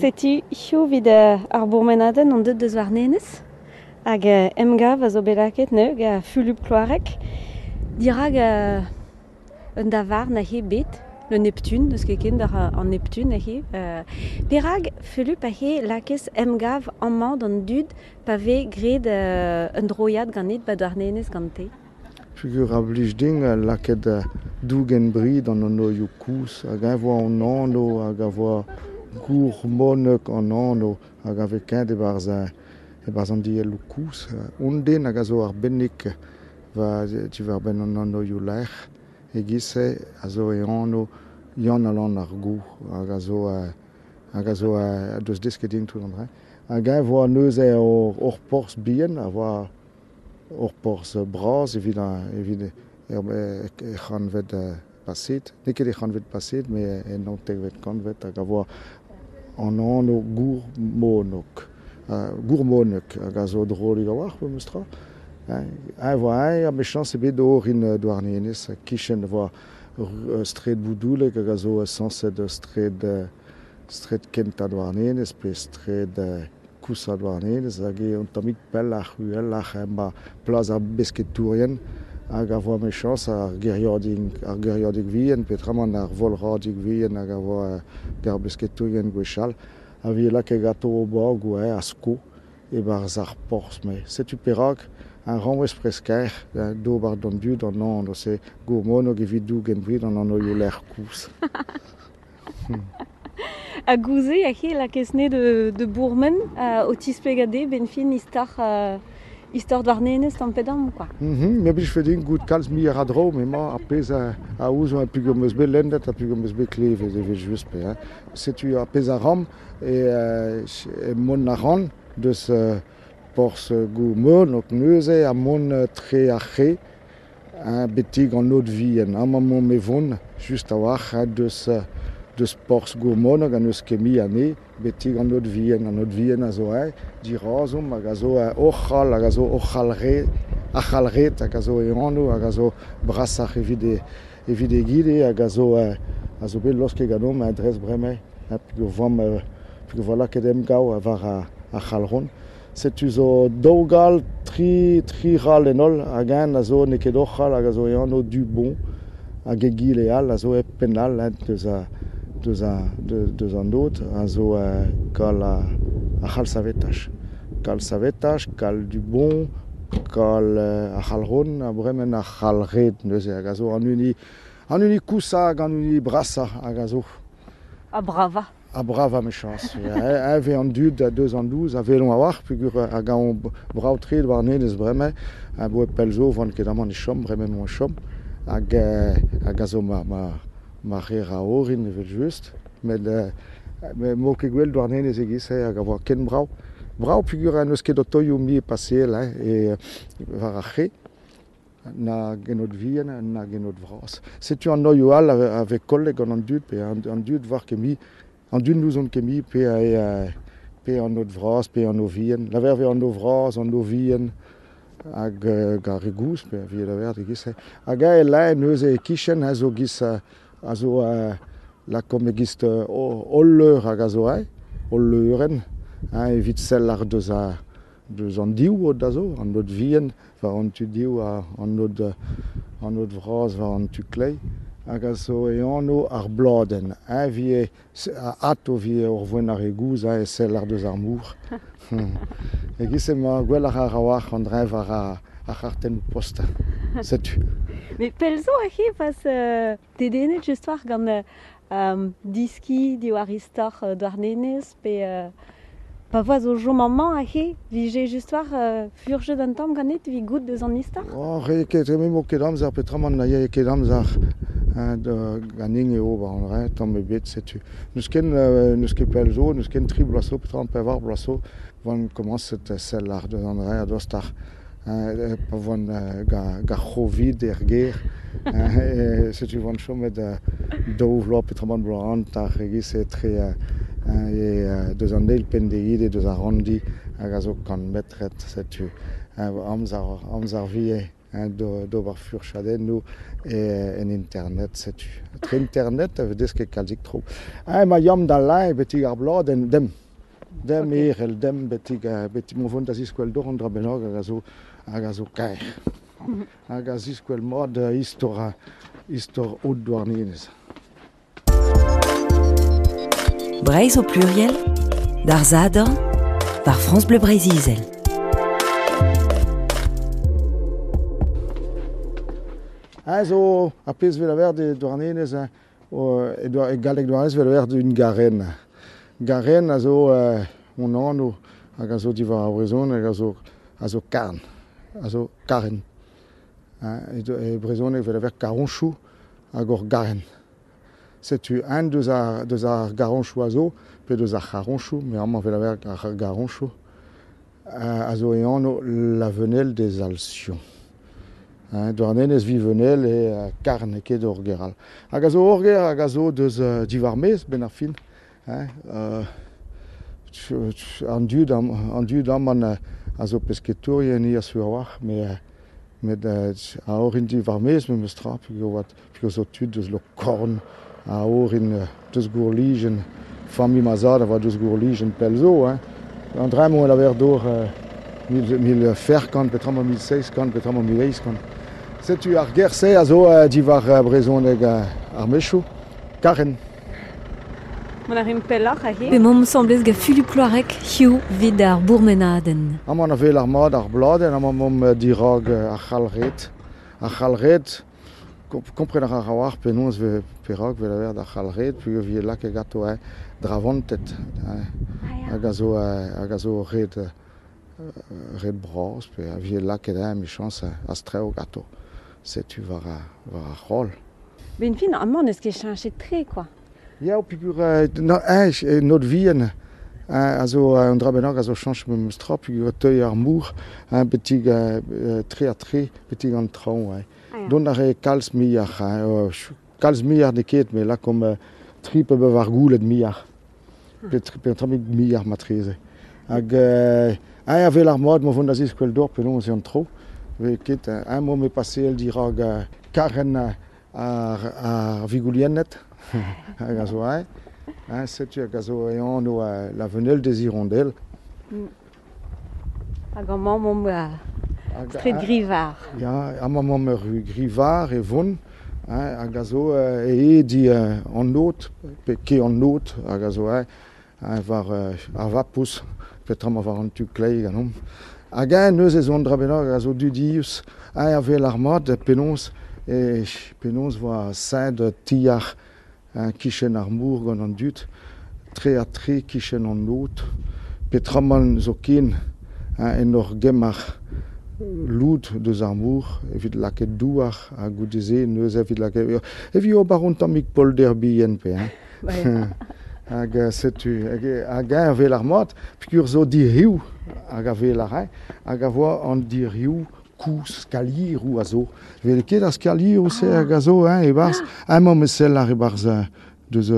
Setu hiziv evit ar bourmenadenn on deuet deus Warnenez hag emgav a zo bet lakaet neuze gant Fulup Kloareg dirak un davarn aze bet, le Neptune, n'eus ket ken d'ar an Neptune aze. Perak Fulup aze lakez emgav amañ d'an dud pa vez graet un droiad ganit ba Douarnenez gante? Peogwir a blij din lakaat dougen bri d'an anvioù kozh hag eñ 'voa an anv hag a voa gourmonek an anv hag a vez kaet e-barzh an dielloù kozh. Un den hag a zo arbennik war diwar-benn an anvioù lec'h e-giz-se a zo e anv Yann-Alan ar Gow hag a zo hag a zo deus desket din tout an dra. Hag eñ 'voa neuze ur porzh bihan a voa ur porzh bras evit evit er c'hantved paset. N'eo ket er c'hantved paset, met en naontekvet kantved hag a voa an anv Gourmonok. Gourmonok hag a zo drolik a-walc'h memes tra. Eñ voa eñ ha mechañs ebet orin Douarnenez e-kichen e voa straed Boudoulek hag a zo sañset straed straed kentañ Douarnenez pe straed koushañ Douarnenez hag eo un tammig pelloc'h uheloc'h emañ plas ar besketourien hag a voa mechañs ar gêriadig ar gêriadig vihan peotramant ar volradig vihan hag a voa ar besketourien gwechall a vije lakaet ganto o bagoù a-sko e-barzh ar porzh-mañ. Setu perak ar ranwez preskaer d'ober d'an dud an anv-se gourmonog evit dougen brid an anvioù-lec'h kozh. Ha gouze aze lakez ne de bourmen o tisplegañ dezhe 'benn fin istor istor Douarnenez tamm-pe-damm quoi. Me 'blijfe din goût kalz muioc'h a draoù m'emañ ar pezh a ouzon peogwir 'm eus bet lennet ha peogwir 'm eus bet klevet evel-just pe hein. Setu ar pezh a ran e mont a ran deus porzh Gourmonog neuze ha mont tre ar c'hre betek an aod vihan. Amañ emaomp e vont just a-walc'h deus porzh Gourmonog ha n'eus ket mui anezhe betek an aod vihan. An aod vihan a zo aet dirazomp hag a zo oc'hall hag a zo oc'hall-red ac'hall-red hag a zo e anv hag a zo brasoc'h evit egile hag a zo bet laosket ganeomp dres bremañ peogwir peogwir 'vo lakaet emgav war ar c'halron. Setu zo daou gal, tri ral en holl hag eñ a zo n'eo ket oc'hall hag a zo e anv Dubon hag egile all a zo hep penn all deus deus deus an aod a zo kal ar c'hal savetaj. Kal savetaj, kal Dubon, kal ar c'halron ha bremañ ar c'hal-red neuze hag a zo an hini an hini koushañ hag an hini brasañ hag a zo. Ha bravañ. Ha bravañ mechañs. Eñ vez an dud deus an douz a welont a-walc'h peogwir hag eñ brav-tre Douarnenez bremañ. Aboe pell zo 'oan ket amañ e chom, bremañ emañ o chom. Hag hag a zo ma ma ma reer a orin evel-just. Met m'eo ket gwell Douarnenez e-giz-se hag a voa ken brav. Brav peogwir n'eus ket otoioù mui paseal hein, e war ar c'hae. Na genod vihan na genod vras. Setu an oioù all a vez kollet gant an dud pe an dud 'oar ket mui an dud n'ouzont ket mui pe pe an aod vras pe an o vihan. Laver 'vez an o vras, an o vihan hag ar re gozh pe a laver e-giz-se. Hag eñ e lae neuze e-kichen a zo giz a zo lakaomp e-giz hol leur hag a zo aet, hol leurenn, hein, evit sell ar deus a deus an div aod a zo, an aod vihan war an tu div ha an aod vras war an tu kleiz hag a zo e anv ar bladenn. Eñ 'vije ato 'vije ur voen ar re gozh e sell ar deus ar mor. E-giz-se emañ gwelloc'h a-walc'h an dreñv war ar c'hartennoù post. Setu. Met pell zo aze pas dedennet just war gant diskiñ diwar istor Douarnenez pe pa voa zo chom amañ aze 'vije just war furchet un tamm ganit evit goût deus an istor? Oh, re ket, me 'mo ket amzer peotramant na yae ket amzer ganin eo ober an dra, tamm ebet, setu. N'eus ken n'eus ket pell zo, n'eus ken tri bloaz zo, peotramant pevar bloaz zo, 'oan komañset sell àr deus an dra a-dostoc'h. Pa voan gant ar C'hovid er gêr, setu 'oan chomet daou vloaz peotramant bloaz hanter e-giz-se etre deus an eil penn d'egile deus ar ranndi hag a zo kant metred, setu amzer amzer vie. hein, d'ober furchadennoù en internet, setu. Tre internet a vez desket kalzik tro. Hein, ma yam da lae betik ar bladenn, dem. Dem Ok. erel, dem betik, betik mo vont da ziskwel dor an dra bennak hag a zo kaer. Hag a ziskwel mod istor haut Douarnenez. Breizh au pluriel, d'ar Zadorn, par France Bleu Breizh-Izel. Hein, zo ar pezh vel aver de Douarnenez, hein, o, e doa, e galleg Douarnenez vel aver d'un garen. Garen a zo on anv hag a zo diwar ar brezhoneg a zo karn, a zo karen. Hein, e brezhoneg vel aver karonchoù hag ur garen. Setu un deus ar garonchoù a zo, pe deus ar c'haronchoù, mais amañ vel aver ar garonchoù, a zo e anv la venelle des Alcyons. Hein, Douarnenez vi venelle e karn e ket ur geral. Hag a zo ur ger hag a zo deus diwar mez ben ar fin. Hein, an dud am, an dud aman a zo pesketourien i a sur war, met a orin diwar mez me meus tra, peogwir oat, peogwir zo tud deus lo korn, a orin deus gourlijen, familh ma zad a oa deus gourlijen pell zo, hein. An dra emañ a dor mil ferkant, petra ma mil seizh kant, petra ma mil eizh kant. Setu ar ger-se a zo diwar brezhoneg ar mechoù, karen. Mont a rimp pelloc'h aze. Pe m'omp semblez gant Fulup Kloareg, hiziv 'vit ar bourmenadenn. Amañ a vel ar mat ar bladenn, amañ m'omp dirag ar c'halred. Ar c'halred, kompren ar war penaos ve perak vel aver d'ar c'halred, peogwir vi lakaet ganto, hein, dravantet, hein. Ah, ya. Hag a zo hag a zo red bras, pe a vi lakaet, hein, mechañs, a strev ganto. Setu war ar c'holl. Ben fin, amañ n'eus ket cheñchet tre, quoi. Ya, peogwir no, hein, not vihan, hein, a zo un dra bennak a zo chañch memes tra, peogwir teuy ar mour, hein, betik tre ha tre, betik an traoñ, hein. Ah, ya. Dont a re kalz miar, hein, kalz miar n'eo ket, met lakaomp tri pe bevar goulet miar. Pe tri, pe un tammig miar matreze. Hag hein, a vel ar mod, ma vont da ziskwel dor, penaos eo an tro. Ve ket, hein, mo me paseel dirag karen ar vigouliennet. Hag a zo, hein. Hein, setu hag a zo e anv la venelle des hirondelles. Hag amañ momp Hag Stret a- Grivar. Ya, amañ momp ur ru Grivar e vont, hein, hag a zo e e di an not, pe ke an not, hag a zo, hein, hein, war ar vapous, petra ma war an tu klei ganeomp. Hag eñ neuze zo an dra bennak a zo dudius, hein, a vel ar mat, penaos, e, penaos voa saint tiar, hein, kichen ar mour gant an dud, tre ha tre kichen an not, petraman zo ken, hein, en ur gemar loud deus ar mour, evit lakaet douar, ha goude-se neuze evit lakaet, evit ober un tammig polder bihan pe, hein. Ouais. Hag setu, hag eñ a vel ar mat, peogwir zo diriou, hag a vel ar hein, hag a voa an diriou kouz skalieroù a zo. Vel ket ar skalieroù se hag a zo, hein, e-barzh. Amañ me sell ar e-barzh, deus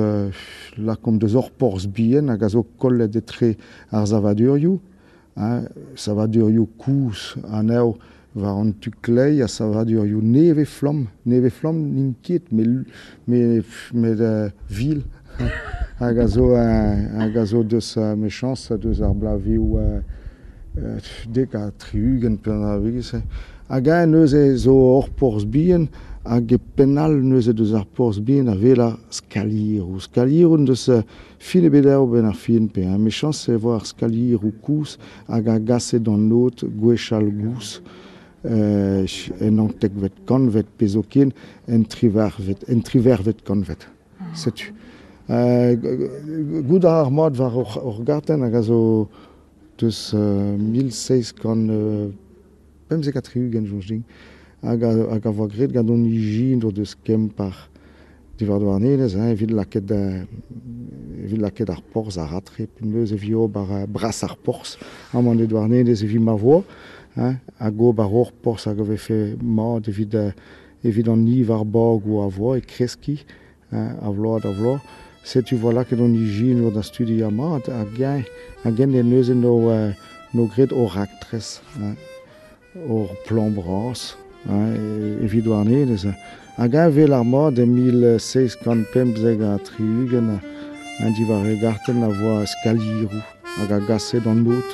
lakaomp deus ur porzh bihan hag a zo kollet etre ar savadurioù, hein, savadurioù kouz anezho war an tu klei ha savadurioù nevez-flamm. Nevez-flamm n'int ket, met vil. Hag a zo, hag a zo deus mechañs deus ar blavioù dek ha tri-ugent pe an avegez. Hag eñ neuze zo ur porzh bihan, hag e penn all neuze deus ar porzh bihan a wel ar skalieroù. Skalieroù deus fin ebet eo ben ar fin pe, hein. Mechañs e vo ar skalieroù kouz hag a gase d'an not gwechall gouz. En antekvet kantved pe zo ken, en trivervet kantved. Setu. Gout ar mat war ur gartenn hag a zo deus mil seizh kant pemzek ha tri-ugent, soñj din, hag a voa graet gant hon ijin deus Kemper diwar Douarnenez, hein, evit lakaet ar porzh ar ratre, pe neuze evit ober bras ar porzh, amañ e Douarnenez evit ma voa, hein, hag ober ur porzh hag a vefe mat evit an niv ar bagoù a voa e kreski, hein, a vloaz da vloaz. Setu voa lakaet hon ijin war da studi ar mat, hag eñ e neuze no graet o raktres, hein, ur plan bras, evit Douarnenez. Hag eñ vel ar mod e 1775 an diwar e gartenn a voa skalieroù hag a gase d'an aod.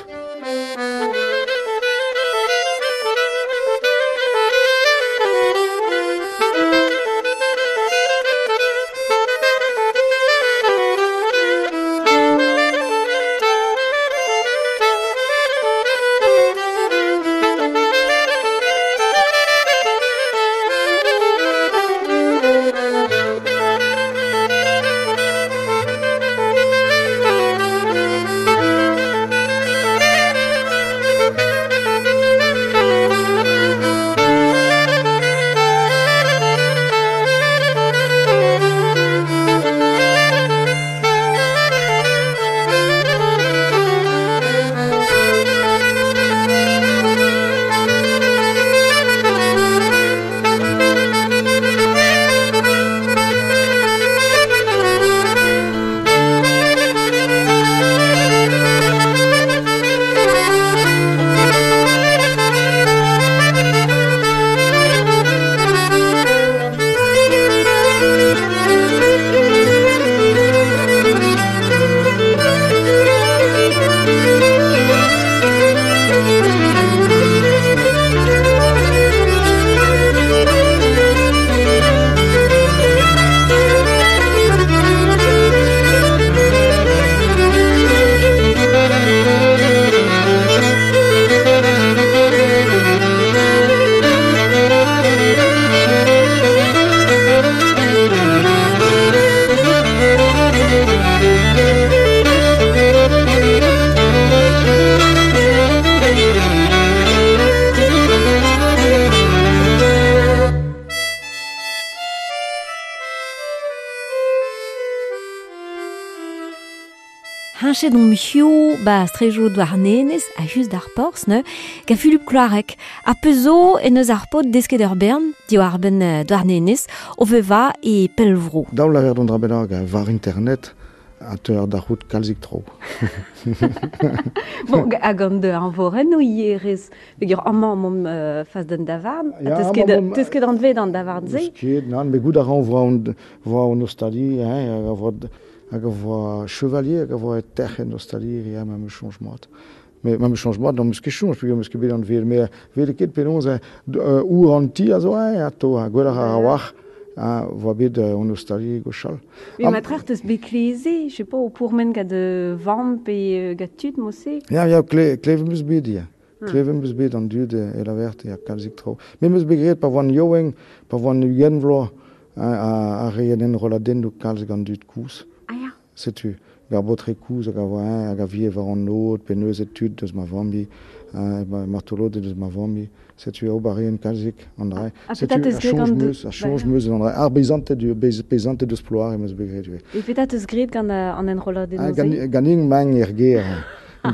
Heñchet on hiziv ba strejoù Douarnenez a-us d'ar porzh neuze gant Fulup Kloareg. Ha pezh zo en deus ar paotr desket ur bern diwar-benn Douarnenez o vevañ e pellvro. Daou lavar d'an dra bennak war internet a teuer da c'hoût kalzik tro. Bon, hag an eñvorennoù ivez peogwir amañ emaomp fas d'un davarn. Ha teus ket anvet an davarn-se? N'eus ket, nann, met goût a ran voa an ostaliri, hein, hag a voa chevalier, hag a voa tec'h en ostaliri, ma 'm eus soñj mat. Met ma 'm eus soñj mat, n'am eus ket soñj peogwir 'm eus ket bet anvet, met 'welet ket penaos our an ti a zo atao, ha gwelloc'h a-walc'h a voa bet an ostaliri gwechall. Mais ma trec'h teus bet kleze, je sais pas, o pourmen gant vamm pe gant tud mod-se? Ya, ya, klevet 'm eus bet, ya. Klevet 'm eus bet an dud e laverte, ya, kalzik traoù. Me 'm eus bet graet pa oan yaouank, pa oan 20 vloaz, a reent enrolladennoù kalz gant dud kozh. Ah ya. Setu, ar baotred kozh hag a oa eñ hag a vie war an aod pe neuze tud deus ma familh, martoloded deus ma familh. Setu ober a reent kalzik an dra. Ha Setu petra 'teus a graet soñj gant 'meus, a soñj 'meus an dra. Ar beizanted deus Ploare 'meus bet graet ivez. E petra 'teus graet gant an enrolladennoù-se? Ganin 'mañ er gêr. Un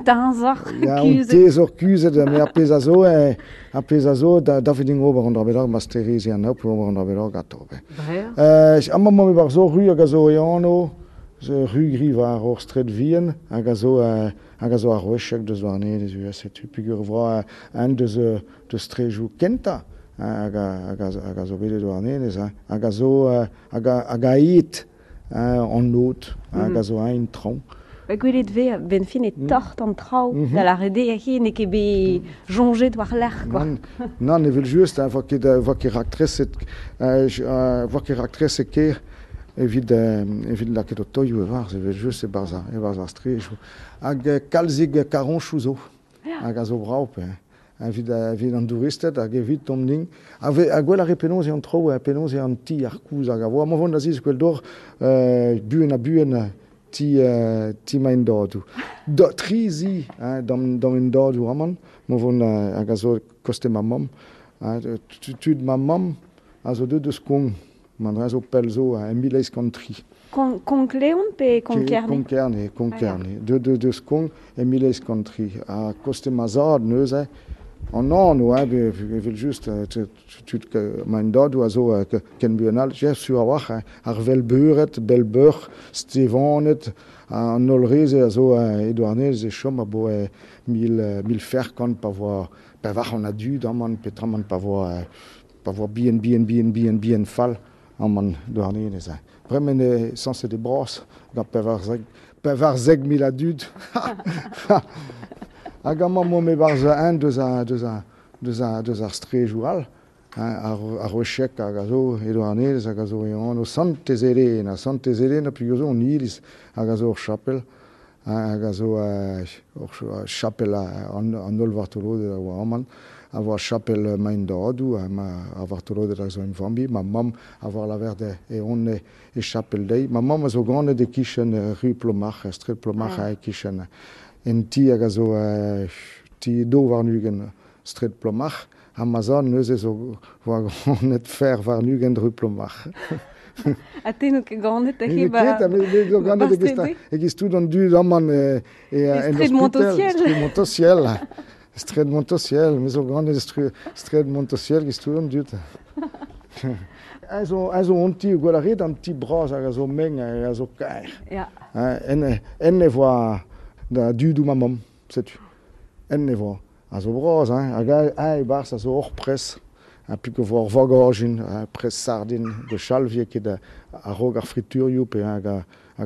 teñzor Ya, un kuzhet. teñzor kuzhet, met ar pezh a zo, ar pezh a zo, da davet din ober an dra bennak, ma stereze an aotrou ober an dra bennak atao. Amañ emañ e-barzh ur ru hag a zo e anv, ru Gri war ur straed vihan, hag a zo hag a zo ar Roecheg deus Douarnenez ivez, setu peogwir e voa un deus deus strejoù kentañ hag a zo bet e Douarnenez, hag a zo hag a aet an aod hag a zo eñ traoñ. Gwelet 'vez a-benn fin e tort an traoù da lâret eo hi n'eo ket bet soñjet war-lerc'h quoi. Nann, evel-just, voa ket raktreset voa ket raktreset ker evit evit lakaat ho toioù e-barzh, evel-just e-barzh ar strejoù. Hag kalzik karroñsoù zo hag a zo brav pe evit evit an douristed hag evit domp-nin. Ha gwell a re penaos eo an traoù, penaos eo an ti ar koulz hag a vo. Amañ 'vont da ziskwel deoc'h buan ha buan ti ti ma endadoù. Tri zi d'am endadoù amañ, ma vont hag a zo koste ma mamm. Tud ma mamm a zo deuet deus Kong. Ma dra zo pell zo, en 1803. Konk-Leon pe Konk-Kerne? Konk-Kerne, Konk-Kerne. Deuet deus Kong en 1803. Ha koste ma zad neuze, an anv, evel-just, tud ma endadoù a zo ken buan all, sur a-walc'h, ar Velbeured, Belbeur, Stevaned, an holl re-se a zo e Douarnenez e chom aboe mil ferkant pa voa Pevar an a dud aman petraman pa voa bien bien bien bien bien fall aman douarnenez. Bremen e sañset e bras gant 14,000 a dud. Hag amañ mo me barzh un deus ar strejoù all, ar rochek hag a zo e Douarnenez hag a zo e anv Santez-Elena, Santez-Elena peogwir zo an iliz hag a zo ur chapel, hag a zo ur chapel an holl vartoloded a oa amañ, a voa chapel Maen-Dadoù, ar vartoloded a zo en familh, ma mamm a voa laver e on e chapel dezhi. Ma mamm a zo ganet e-kichen ru Plomarc'h, straed Plomarc'h e-kichen en ti hag a zo ti do warn-ugent straed Plomarc'h, ha ma zad neuze zo voa ganet fer warn-ugent ru Plomarc'h. Ha te n'out ket ganet he ba... Me zo ganet e-giz tout an dud amañ e straed Montociel. Straed Montociel. Straed Montociel, me zo ganet straed Montociel giz tout an dud. A zo an ti gwell a rit, an ti bras hag a zo meng hag a zo kaer. Ya. En e voa da dudou ma mamm, setu. En e voa. A zo bras, hein, hag a e-barzh a zo hor pres. Ha pik o voa ur vagajin, pres sardin, gwechall vie ket a-raok ar friturioù pe hag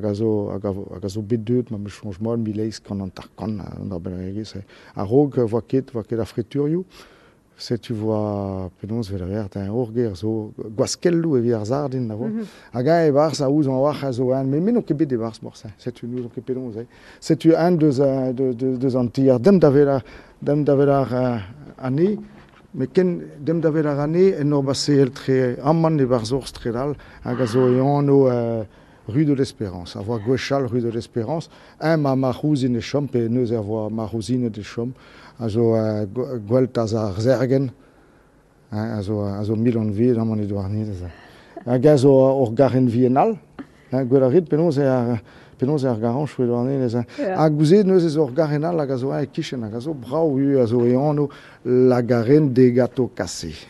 a zo bet deuet, ma me soñj mat, 1850, an ar benregezh. A-raok voa ket ar friturioù. Setu voa penaos vet a ver, ur ger zo gwaskelloù evit ar sardin da vo. Hag eñ e-barzh a ouzon a-walc'h a zo un, met me n'on ket bet e-barzh morse. Setu n'ouzon ket penaos eo. Setu un deus an tier dem da vel ar ane, met ken dem da vel ar ane en ur baseel tre amañ e-barzh ur straed all hag a zo e anv Rue de l'Espérance, a voa gwechall Rue de l'Espérance, un ma marc'houzin e chom, pe neuze a voa marc'houzinet e chom, a zo gwell taz ar zergen, a zo mil an vid amañ e Douarnenez. Hag a zo ur garenn vihan all, gwell a rit penaos eo ar garanchoù e Douarnenez. Hag gouze neuze zo ur garenn all hag a zo e-kichen, hag a zo brav a zo e anv La Garenne des Gâteaux Cassés.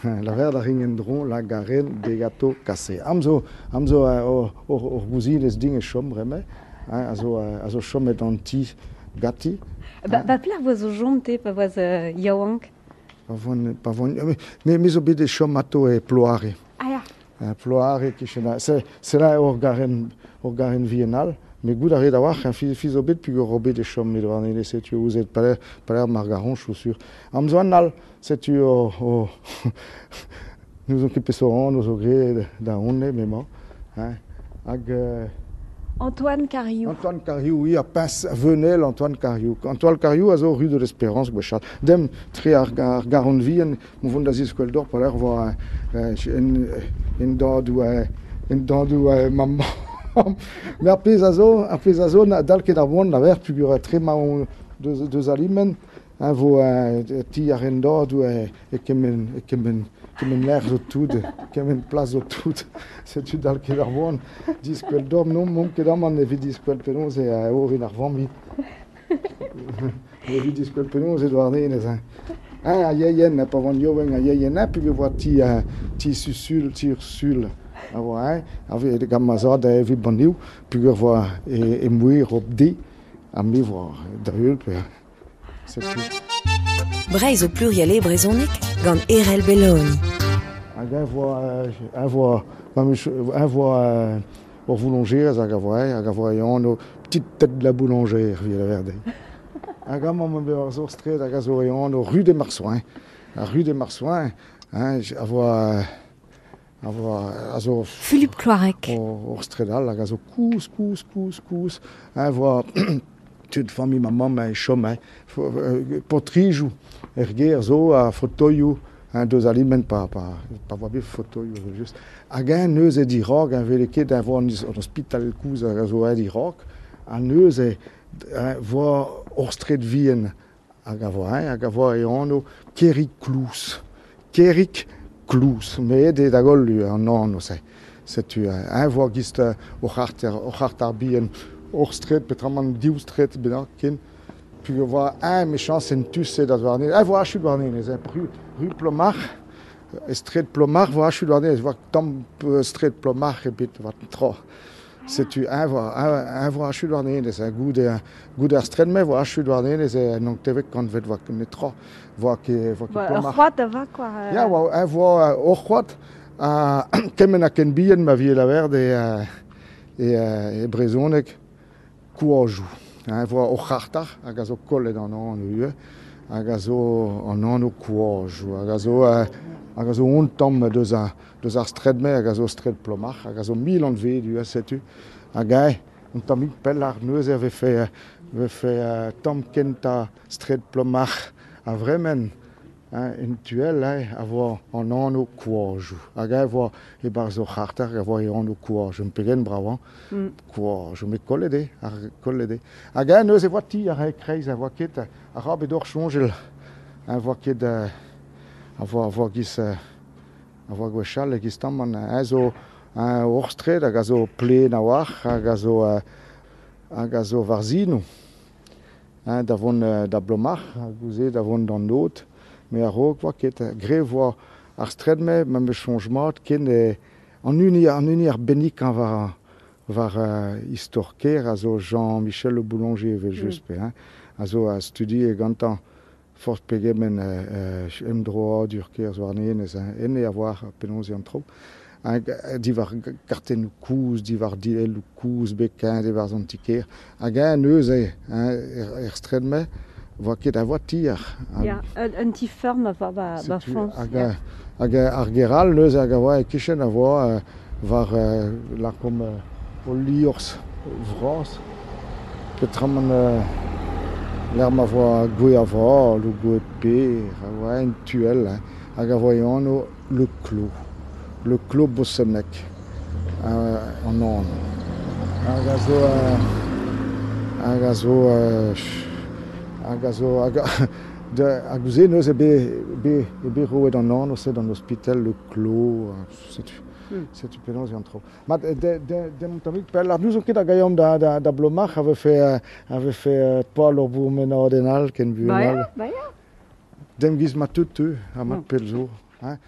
La ver da ring en dron, la garenne des gâteaux cassés. Am zo ur gouzinez ding e chom bremañ, a zo chomet an ti gati. Ba pler voa zo jom te pa voaz yaouank? Pa voan, me zo bet e chom ato e Ploare. Ah ya. Ploare kichen, c'est là ur garenn vihan all. Mais goût a rit a-walc'h, fi zo bet peogwir bet e chom met warnenez, setu ouzet paler mar garanchoù sur. Am zo an all, setu o n'ouzon ket peseurt anv zo graet da honnezh m'emañ. Hag Antoine Cariou. Antoine Cariou, oui, a Pince Venel Antoine Cariou. Antoine Cariou a zo rue de l'Espérance gwechall. Dem tre ar garonn vihan, mo vont da ziskwel d'or paler voa en dadoù mamm. Mais ar pezh a zo, dal ket ar boan, la ver, peogwir tre ma on deus alimen, vo ti ar en-dadoù e kement lec'h zo tout, kement plas zo tout. Setu dal ket ar boan, diskwel d'or, non, mont ket amañ evit diskwel penaos e orin ar familh. Evit diskwel penaos e Douarnenez. A yeien, pa van yowen a yeien, peogwir voa ti susul, ti ur sul. A voa, a gant ma zad evit banniou, peogwir voa e mouir op di, ha me voa da heul, pe setu. Breizh o pluriel e brezhoneg gant Erell Belloni. Hag un voa ur vouloñjerez hag a voa e anv petite tête de la boulangère, vi la verde. Hag amañ ma bet war straed hag a zo e anv Rue des Marsouins. Ar Rue des Marsouins, a voa a zo Philippe Cloarec. Ur straed all hag a zo kouz. A voa tud familh ma mamm e chom, potrijoù er gêr zo a fotoioù, deus aliment pa voa bet fotoioù just. Hag eñ neuze dirak, eñ vele ket a voa an ospital kouz hag a zo eñ dirak, ha neuze voa ur straed vihan hag a voa e anv Kerig Klouz. Kerig Klouz, met eo da goll an anv-se. Setu eñ voa gist ur c'harter bihan, ur straed, peotramant div straed bennak ken. Peogwir voa eñ mechañs en tu-se da Douarnenez. Eñ voa achu Douarnenez, ru Plomarc'h, straed Plomarc'h voa achu Douarnenez, voa tamm straed Plomarc'h ebet, voa tra. Setu eñ voa achu Douarnenez, hein, goude ar straed-mañ voa achu Douarnenez en naontekvet kantved voa netra, voa ket Ba, ur Plomarc'h. c'hoad a va quoi. Ya, oa, eñ voa ur c'hoad ha kement ha ken bihan ma vije lavaret e brezhoneg koajoù. Eñ voa ur c'harter hag a zo kollet an anv ivez, hag a zo an anv koajoù, hag a zo un tamm deus ar straed-mañ hag a zo straed Plomarc'h, hag a zo mil anvet ivez, setu. Hag eñ, un tammig pelloc'h neuze a vefe tamm kentañ straed Plomarc'h a vremen, hein, en tu all, hein, a voa an anv koajoù. Hag eñ voa e-barzh ur c'harter a voa e anv koajoù, pegen brav, hein. Koajoù, met kollet eo, ar kollet eo. Hag eñ neuze voa ti ar e-kreiz, a voa ket, a ra bet oc'h soñjal, a voa ket, a voa giz, a voa gwechall e-giz tamm an, eñ zo ur straed hag a zo plaen a-walc'h, hag a zo war zinoù. Hein, da vont da Blomarc'h, hag goude da vont d'an Aod, met a-raok voa ket. Graet voa ar straed-mañ, ma 'm eus soñj mat, ken an hini arbennikañ war istor kêr a zo Jean-Michel Le Boulanger evel-just, pe, hein, a zo a studie gantañ forzh pegement emdroadur kêr Douarnenez, hein, enne a oar penaos eo an traoù. Hag diwar kartennoù kozh, diwar dielloù kozh bet kaeet e-barzh an ti-kêr. Hag eñ neuze, hein, er straed-mañ, voa ket a voa tier. Ya, un ti feurm a voa ba Setu, foñs. hag ar ger all neuze hag a voa e-kichen a voa war lakaomp ul liorzh vras. Peotramant lec'h ma voa gwez aval ou gwez per, a voa en tu all, hein, hag a voa e anv Le Clos. Le Clos Bossonnec, an anv. Hag a zo, hag a zo, hag, de, hag goude neuze be roet an anv se d'an ospital Le Clos, setu. Setu penaos eo an traoù. Mat, de tammig pell, ar n'ouzon ket hag a da Blomarc'h a vefe pal ur bourmenadenn all ken buan Ba all. ya, ba ya. Dem giz ma teu, ha mat pell zo. Hein.